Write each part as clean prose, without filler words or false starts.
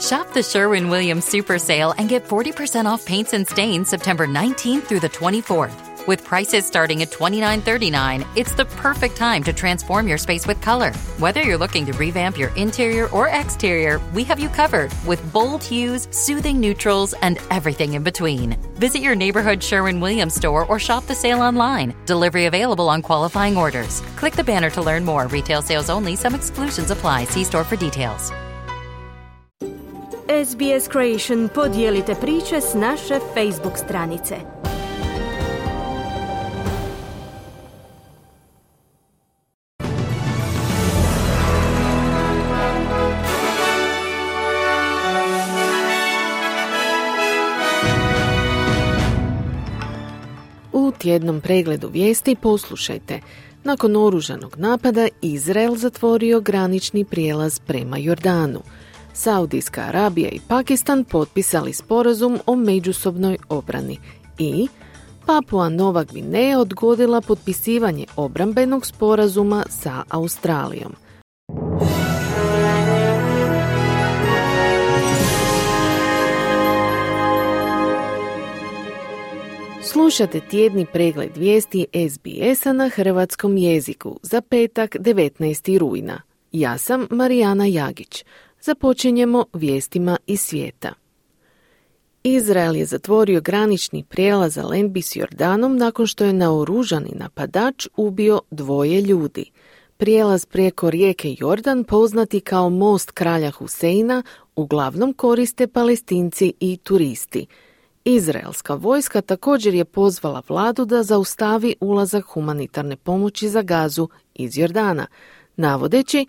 Shop the Sherwin-Williams Super Sale and get 40% off paints and stains September 19th through the 24th. With prices starting at $29.39, it's the perfect time to transform your space with color. Whether you're looking to revamp your interior or exterior, we have you covered with bold hues, soothing neutrals, and everything in between. Visit your neighborhood Sherwin-Williams store or shop the sale online. Delivery available on qualifying orders. Click the banner to learn more. Retail sales only. Some exclusions apply. See store for details. SBS Creation, podijelite priče s naše Facebook stranice. U tjednom pregledu vijesti poslušajte. Nakon oružanog napada, Izrael zatvorio granični prijelaz prema Jordanu. Saudijska Arabija i Pakistan potpisali sporazum o međusobnoj obrani i Papua Nova Gvineja odgodila potpisivanje obrambenog sporazuma sa Australijom. Slušate tjedni pregled vijesti SBS-a na hrvatskom jeziku za petak 19. rujna. Ja sam Marijana Jagić. Započinjemo vijestima iz svijeta. Izrael je zatvorio granični prijelaz za Lenbi s Jordanom nakon što je naoružani napadač ubio 2 ljudi. Prijelaz preko rijeke Jordan, poznati kao most kralja Huseina, uglavnom koriste Palestinci i turisti. Izraelska vojska također je pozvala vladu da zaustavi ulazak humanitarne pomoći za Gazu iz Jordana, navodeći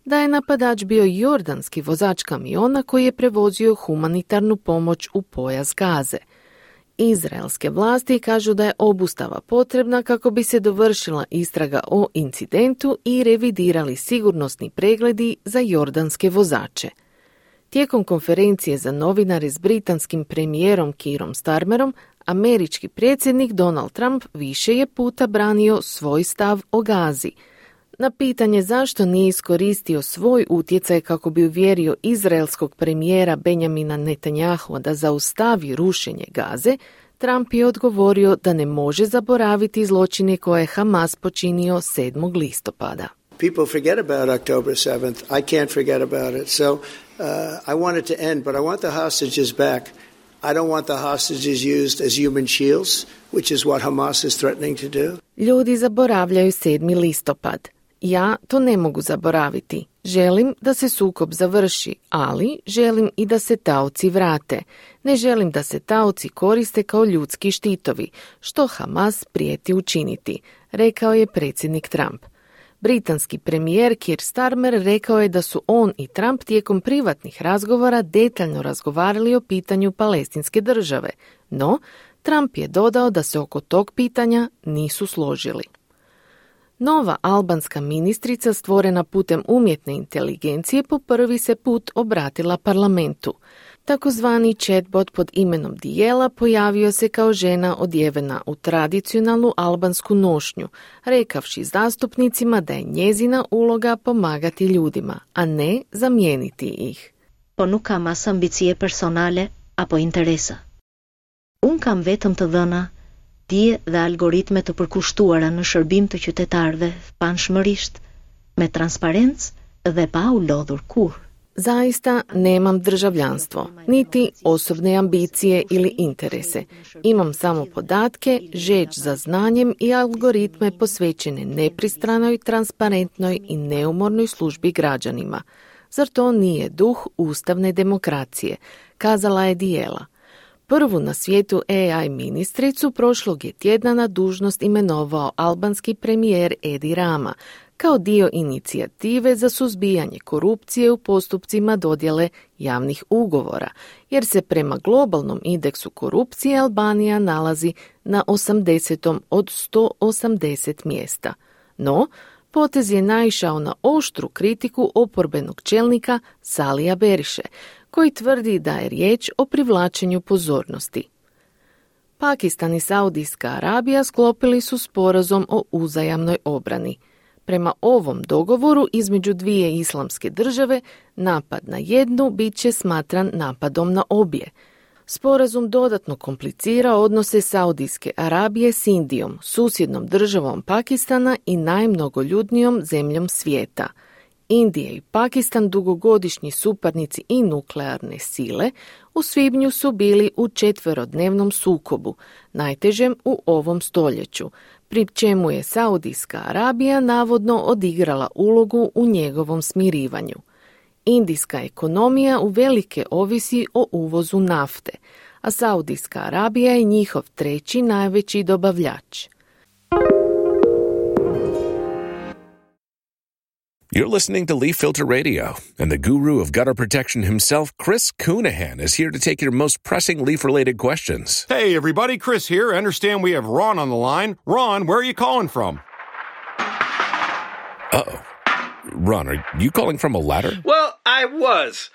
da je napadač bio jordanski vozač kamiona koji je prevozio humanitarnu pomoć u pojas Gaze. Izraelske vlasti kažu da je obustava potrebna kako bi se dovršila istraga o incidentu i revidirali sigurnosni pregledi za jordanske vozače. Tijekom konferencije za novinare s britanskim premijerom Keerom Starmerom, američki predsjednik Donald Trump više je puta branio svoj stav o Gazi. Na pitanje zašto nije iskoristio svoj utjecaj kako bi uvjerio izraelskog premijera Benjamina Netanyahua da zaustavi rušenje Gaze, Trump je odgovorio da ne može zaboraviti zločine koje je Hamas počinio 7. listopada. People forget about October 7th. I can't forget about it. So I want it to end, but I want the hostages back. I don't want the hostages used as human shields, which is what Hamas is threatening to do. Ljudi zaboravljaju 7. listopad. Ja to ne mogu zaboraviti. Želim da se sukob završi, ali želim i da se taoci vrate. Ne želim da se taoci koriste kao ljudski štitovi, što Hamas prijeti učiniti, rekao je predsjednik Trump. Britanski premijer Keir Starmer rekao je da su on i Trump tijekom privatnih razgovora detaljno razgovarali o pitanju palestinske države, no Trump je dodao da se oko tog pitanja nisu složili. Nova albanska ministrica stvorena putem umjetne inteligencije po prvi se put obratila parlamentu. Takozvani chatbot pod imenom Dijela pojavio se kao žena odjevena u tradicionalnu albansku nošnju, rekavši zastupnicima da je njezina uloga pomagati ljudima, a ne zamijeniti ih. Po nuk kam as ambicie personale apo interesa. Unë kam vetëm të dhëna, dije dhe algoritme të përkushtuara në shërbim të qytetarëve panshmërisht, me transparencë dhe pa u lodhur kurrë. Zaista nemam državljanstvo, niti osobne ambicije ili interese. Imam samo podatke, žeđ za znanjem i algoritme posvećene nepristranoj, transparentnoj i neumornoj službi građanima. Zar to nije duh ustavne demokracije, kazala je Dijela. Prvu na svijetu AI ministricu prošlog je tjedna na dužnost imenovao albanski premijer Edi Rama, kao dio inicijative za suzbijanje korupcije u postupcima dodjele javnih ugovora, jer se prema globalnom indeksu korupcije Albanija nalazi na 80. od 180 mjesta. No, potez je naišao na oštru kritiku oporbenog čelnika Salija Beriše, koji tvrdi da je riječ o privlačenju pozornosti. Pakistan i Saudijska Arabija sklopili su sporazum o uzajamnoj obrani. Prema ovom dogovoru između dvije islamske države, napad na jednu bit će smatran napadom na obje. Sporazum dodatno komplicira odnose Saudijske Arabije s Indijom, susjednom državom Pakistana i najmnogoljudnijom zemljom svijeta. Indija i Pakistan, dugogodišnji suparnici i nuklearne sile, u svibnju su bili u 4-dnevnom sukobu, najtežem u ovom stoljeću, pri čemu je Saudijska Arabija navodno odigrala ulogu u njegovom smirivanju. Indijska ekonomija uvelike ovisi o uvozu nafte, a Saudijska Arabija je njihov treći najveći dobavljač. You're listening to Leaf Filter Radio, and the guru of gutter protection himself, Chris Coonahan, is here to take your most pressing leaf-related questions. Hey, everybody, Chris here. I understand we have Ron on the line. Ron, where are you calling from? Uh-oh. Ron, are you calling from a ladder? Well, I was.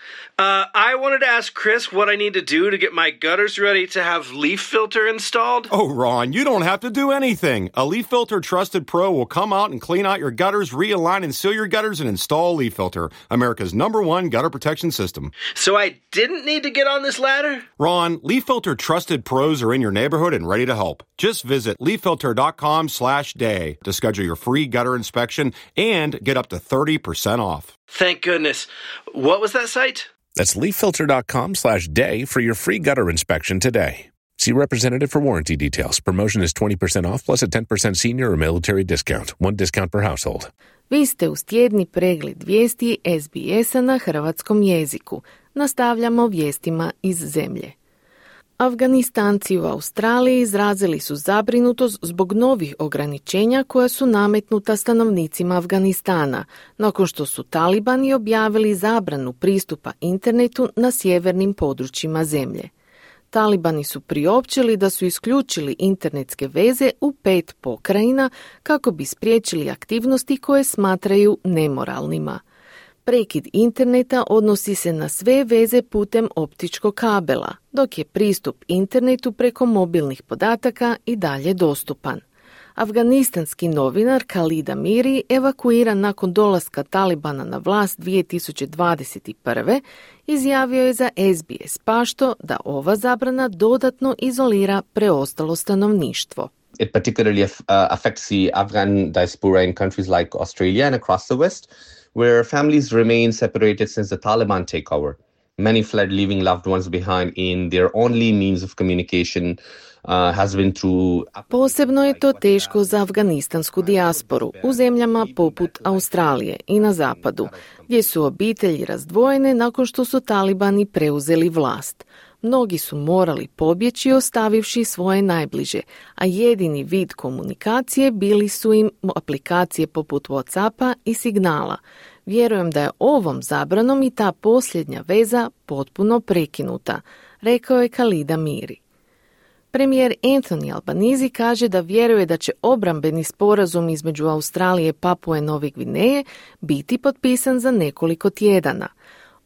I wanted to ask Chris what I need to do to get my gutters ready to have Leaf Filter installed. Oh, Ron, you don't have to do anything. A Leaf Filter Trusted Pro will come out and clean out your gutters, realign and seal your gutters, and install Leaf Filter, America's #1 gutter protection system. So I didn't need to get on this ladder? Ron, Leaf Filter Trusted Pros are in your neighborhood and ready to help. Just visit leaffilter.com/day to schedule your free gutter inspection and get up to 30% off. Thank goodness. What was that site? That's leaffilter.com/day for your free gutter inspection today. See representative for warranty details. Promotion is 20% off plus a 10% senior or military discount. One discount per household. Vi ste uz tjedni pregled vijesti SBS-a na hrvatskom jeziku. Nastavljamo vijestima iz zemlje. Afganistanci u Australiji izrazili su zabrinutost zbog novih ograničenja koja su nametnuta stanovnicima Afganistana, nakon što su talibani objavili zabranu pristupa internetu na sjevernim područjima zemlje. Talibani su priopćili da su isključili internetske veze u 5 pokrajina kako bi spriječili aktivnosti koje smatraju nemoralnima. Prekid interneta odnosi se na sve veze putem optičkog kabela, dok je pristup internetu preko mobilnih podataka i dalje dostupan. Afganistanski novinar Khalid Amiri, evakuiran nakon dolaska Talibana na vlast 2021. izjavio je za SBS Pašto da ova zabrana dodatno izolira preostalo stanovništvo. It particularly affects the Afghan diaspora in countries like Australia and across the West, where families remain separated since the Taliban takeover. Many fled, leaving loved ones behind, in their only means of communication has been through... Posebno je to teško za afganistansku dijasporu u zemljama poput Australije i na zapadu, gdje su obitelji razdvojene nakon što su Talibani preuzeli vlast. Mnogi su morali pobjeći ostavivši svoje najbliže, a jedini vid komunikacije bili su im aplikacije poput WhatsAppa i Signala. Vjerujem da je ovom zabranom i ta posljednja veza potpuno prekinuta, rekao je Khalid Amiri. Premijer Anthony Albanese kaže da vjeruje da će obrambeni sporazum između Australije i Papue Nove Gvineje biti potpisan za nekoliko tjedana.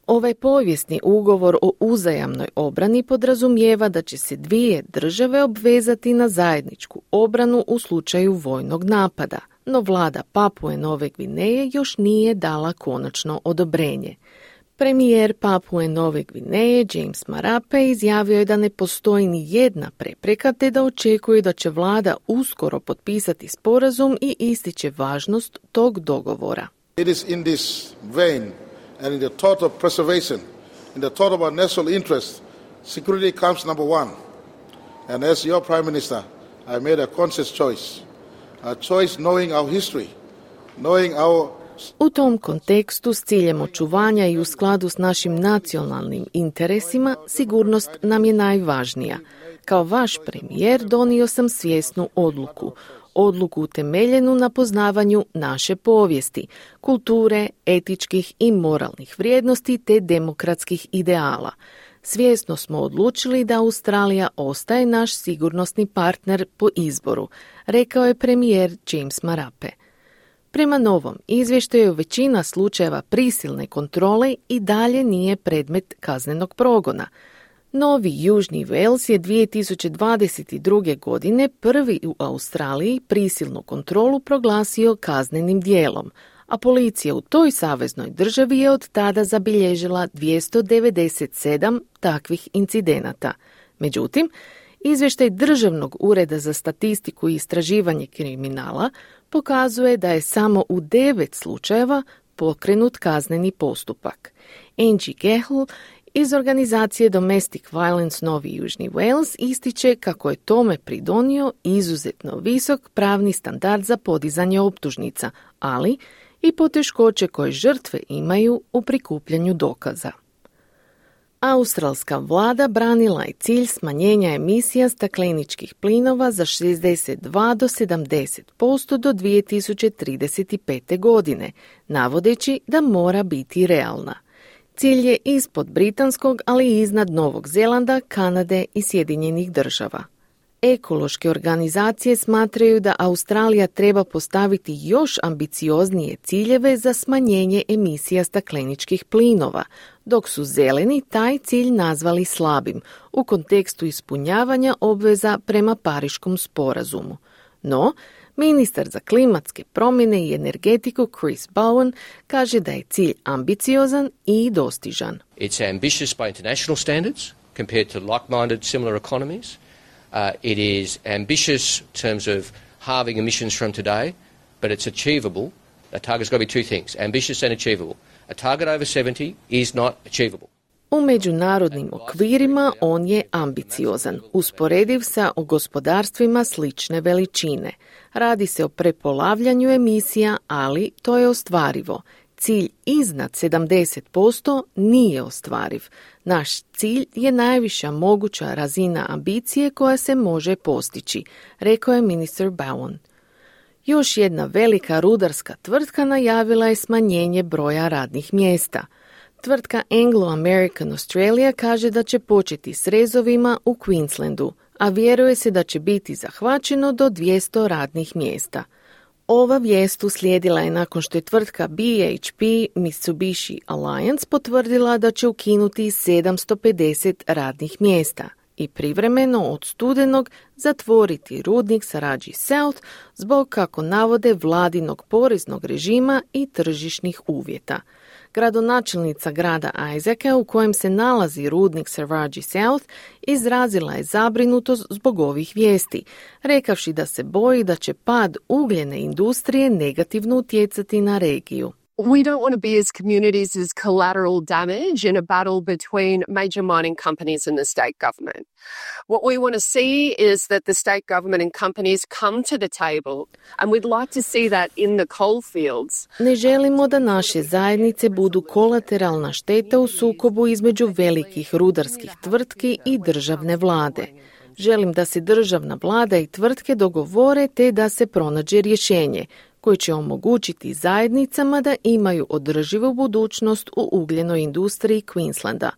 Ovaj povijesni ugovor o uzajamnoj obrani podrazumijeva da će se dvije države obvezati na zajedničku obranu u slučaju vojnog napada, no vlada Papue Nove Gvineje još nije dala konačno odobrenje. Premijer Papue Nove Gvineje James Marape izjavio je da ne postoji ni jedna prepreka te da očekuje da će vlada uskoro potpisati sporazum i ističe važnost tog dogovora. It is in this vein and in the thought of preservation, in the thought of our national interest, security comes number one. And as your Prime Minister, I made a conscious choice. A choice knowing our history, knowing our... U tom kontekstu, s ciljem očuvanja i u skladu s našim nacionalnim interesima, sigurnost nam je najvažnija. Kao vaš premijer donio sam svjesnu odluku utemeljenu na poznavanju naše povijesti, kulture, etičkih i moralnih vrijednosti te demokratskih ideala. Svjesno smo odlučili da Australija ostaje naš sigurnosni partner po izboru, rekao je premijer James Marape. Prema novom izvještaju većina slučajeva prisilne kontrole i dalje nije predmet kaznenog progona. Novi Južni Wales je 2022. godine prvi u Australiji prisilnu kontrolu proglasio kaznenim dijelom, a policija u toj saveznoj državi je od tada zabilježila 297 takvih incidenata. Međutim, izvještaj Državnog ureda za statistiku i istraživanje kriminala pokazuje da je samo u 9 slučajeva pokrenut kazneni postupak. Angie Gehl iz organizacije Domestic Violence Novi Južni Wales ističe kako je tome pridonio izuzetno visok pravni standard za podizanje optužnica, ali i poteškoće koje žrtve imaju u prikupljanju dokaza. Australska vlada branila je cilj smanjenja emisija stakleničkih plinova za 62 do 70% do 2035. godine, navodeći da mora biti realna. Cilj je ispod britanskog, ali i iznad Novog Zelanda, Kanade i Sjedinjenih Država. Ekološke organizacije smatraju da Australija treba postaviti još ambicioznije ciljeve za smanjenje emisija stakleničkih plinova, dok su zeleni taj cilj nazvali slabim u kontekstu ispunjavanja obveza prema Pariškom sporazumu. No, ministar za klimatske promjene i energetiku Chris Bowen kaže da je cilj ambiciozan i dostižan. It's ambitious by international standards compared to like-minded similar economies. It is ambitious in terms of halving emissions from today, but it's achievable. A target's got to be two things, ambitious and achievable. A target over 70 is not achievable. U međunarodnim okvirima on je ambiciozan, usporediv sa gospodarstvima slične veličine. Radi se o prepolavljanju emisija, ali to je ostvarivo. Cilj iznad 70% nije ostvariv. Naš cilj je najviša moguća razina ambicije koja se može postići, rekao je ministar Bowen. Još jedna velika rudarska tvrtka najavila je smanjenje broja radnih mjesta. Tvrtka Anglo-American Australia kaže da će početi s rezovima u Queenslandu, a vjeruje se da će biti zahvaćeno do 200 radnih mjesta. Ova vijest uslijedila je nakon što je tvrtka BHP Mitsubishi Alliance potvrdila da će ukinuti 750 radnih mjesta i privremeno od studenog zatvoriti rudnik Saraji South zbog, kako navode, vladinog poreznog režima i tržišnih uvjeta. Gradonačelnica grada Isaaca, u kojem se nalazi rudnik Saraji South, izrazila je zabrinutost zbog ovih vijesti, rekavši da se boji da će pad ugljene industrije negativno utjecati na regiju. We don't want to be as communities as collateral damage in a battle between major mining companies and the state government. What we want to see is that the state government and companies come to the table, and we'd like to see that in the coal fields. Ne želimo da naše zajednice budu kolateralna šteta u sukobu između velikih rudarskih tvrtki i državne vlade. Želim da se državna vlada i tvrtke dogovore te da se pronađe rješenje koji će omogućiti zajednicama da imaju održivu budućnost u ugljenoj industriji Queenslanda,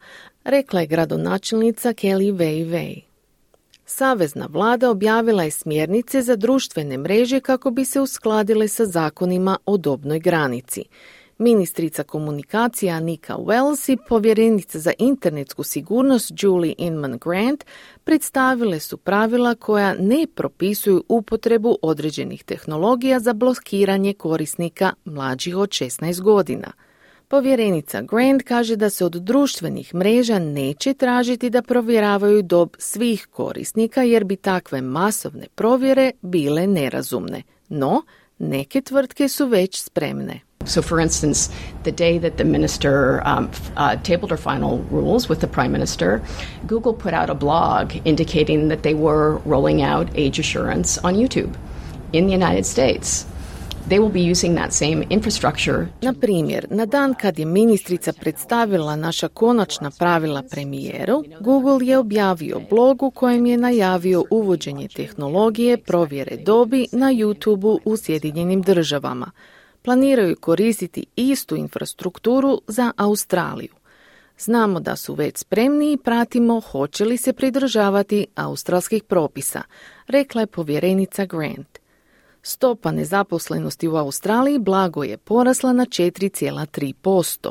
rekla je gradonačelnica Kelly Wei. Savezna vlada objavila je smjernice za društvene mreže kako bi se uskladile sa zakonima o dobnoj granici. Ministrica komunikacija Anika Wells i povjerenica za internetsku sigurnost Julie Inman Grant predstavile su pravila koja ne propisuju upotrebu određenih tehnologija za blokiranje korisnika mlađih od 16 godina. Povjerenica Grant kaže da se od društvenih mreža neće tražiti da provjeravaju dob svih korisnika jer bi takve masovne provjere bile nerazumne. No, neke tvrtke su već spremne. So, for instance, the day that the minister tabled her final rules with the prime minister, Google put out a blog indicating that they were rolling out age assurance on YouTube in the United States. They will be using that same infrastructure. Na primjer, na dan kad je ministrica predstavila naša konačna pravila premijeru, Google je objavio blog u kojem je najavio uvođenje tehnologije provjere dobi na YouTube-u u Sjedinjenim Državama. Planiraju koristiti istu infrastrukturu za Australiju. Znamo da su već spremni i pratimo hoće li se pridržavati australskih propisa, rekla je povjerenica Grant. Stopa nezaposlenosti u Australiji blago je porasla na 4,3%.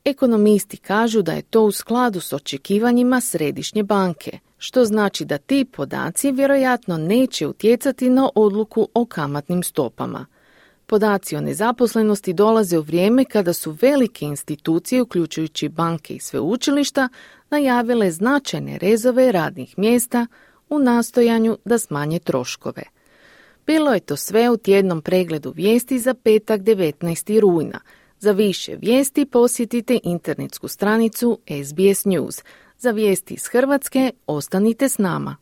Ekonomisti kažu da je to u skladu s očekivanjima središnje banke, što znači da ti podaci vjerojatno neće utjecati na odluku o kamatnim stopama. Podaci o nezaposlenosti dolaze u vrijeme kada su velike institucije, uključujući banke i sveučilišta, najavile značajne rezove radnih mjesta u nastojanju da smanje troškove. Bilo je to sve u tjednom pregledu vijesti za petak 19. rujna. Za više vijesti posjetite internetsku stranicu SBS News. Za vijesti iz Hrvatske ostanite s nama.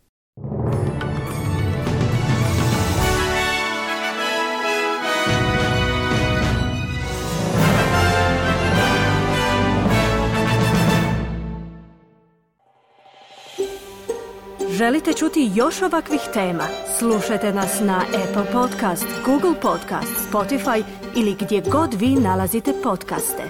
Želite čuti još ovakvih tema? Slušajte nas na Apple Podcast, Google Podcast, Spotify ili gdje god vi nalazite podcaste.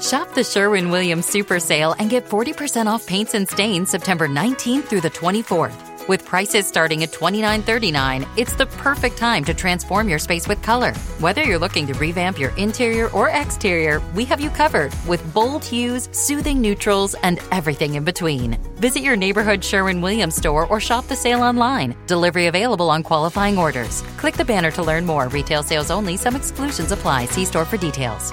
Shop the Sherwin-Williams Super Sale and get 40% off paints and stains September 19th through the 24th. With prices starting at $29.39, it's the perfect time to transform your space with color. Whether you're looking to revamp your interior or exterior, we have you covered with bold hues, soothing neutrals, and everything in between. Visit your neighborhood Sherwin-Williams store or shop the sale online. Delivery available on qualifying orders. Click the banner to learn more. Retail sales only. Some exclusions apply. See store for details.